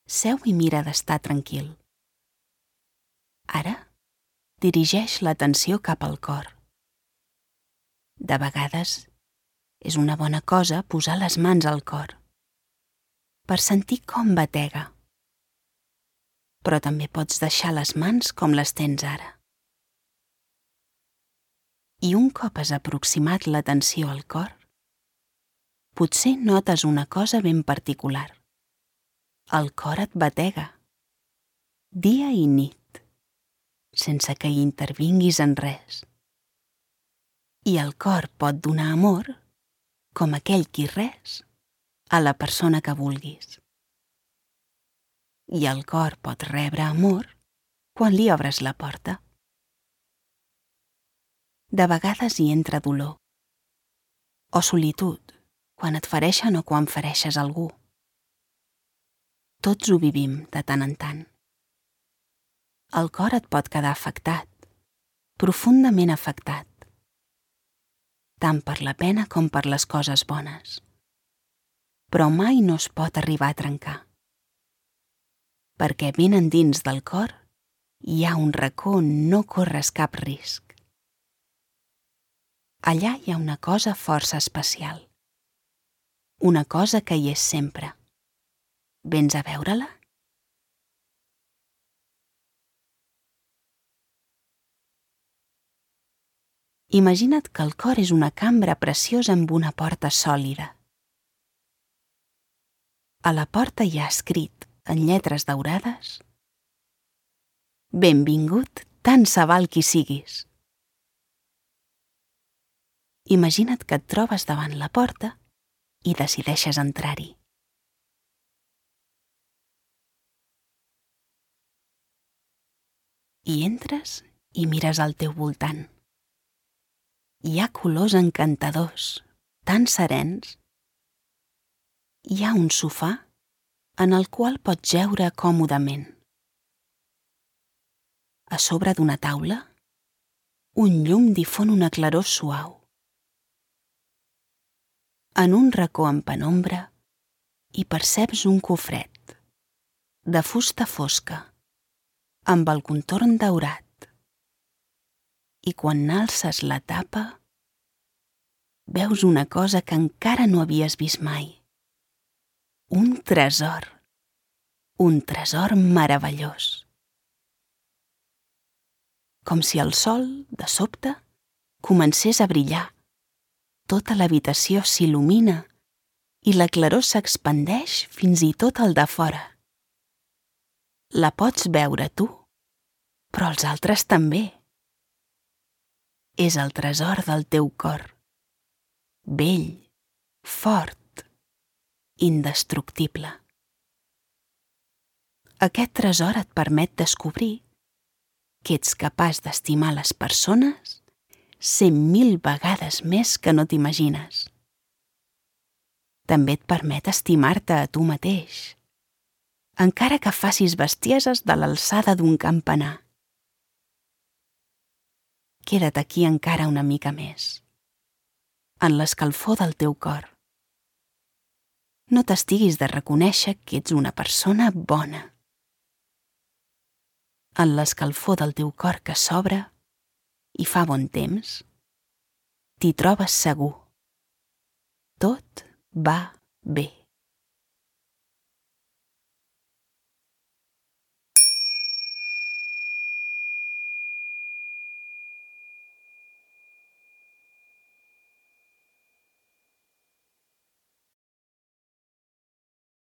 seu i mira d'estar tranquil. Ara, dirigeix l'atenció cap al cor. De vegades, és una bona cosa posar les mans al cor, per sentir com batega. Però també pots deixar les mans com les tens ara. I un cop has aproximat l'atenció al cor, potser notes una cosa ben particular. El cor et batega, dia i nit, sense que hi intervinguis en res. I el cor pot donar amor, com aquell qui res, a la persona que vulguis. I el cor pot rebre amor quan li obres la porta. De vegades hi entra dolor, o solitud, quan et fereixen o quan fereixes algú. Tots ho vivim de tant en tant. El cor et pot quedar afectat, profundament afectat, tant per la pena com per les coses bones. Però mai no es pot arribar a trencar, perquè ben endins del cor hi ha un racó on no corres cap risc. Allà hi ha una cosa força especial, una cosa que hi és sempre. Vens a veure-la? Imagina't que el cor és una cambra preciosa amb una porta sòlida. A la porta hi ha escrit, en lletres daurades: Benvingut, tant se val qui siguis. Imagina't que et trobes davant la porta i decideixes entrar-hi. I entres i mires al teu voltant. Hi ha colors encantadors, tan serens. Hi ha un sofà en el qual pots jeure còmodament. A sobre d'una taula, un llum difon una claror suau. En un racó en penombra hi perceps un cofret, de fusta fosca, amb el contorn daurat. I quan n'alces la tapa, veus una cosa que encara no havies vist mai. Un tresor meravellós. Com si el sol, de sobte, comencés a brillar. Tota l'habitació s'il·lumina i la claror s'expandeix fins i tot al de fora. La pots veure tu, però els altres també. És el tresor del teu cor, vell, fort, indestructible. Aquest tresor et permet descobrir que ets capaç d'estimar les persones 100.000 vegades més que no t'imagines. També et permet estimar-te a tu mateix, encara que facis bestieses de l'alçada d'un campanar. Queda't aquí encara una mica més, en l'escalfor del teu cor. No t'estiguis de reconèixer que ets una persona bona. En l'escalfor del teu cor que s'obre i fa bon temps, t'hi trobes segur. Tot va bé.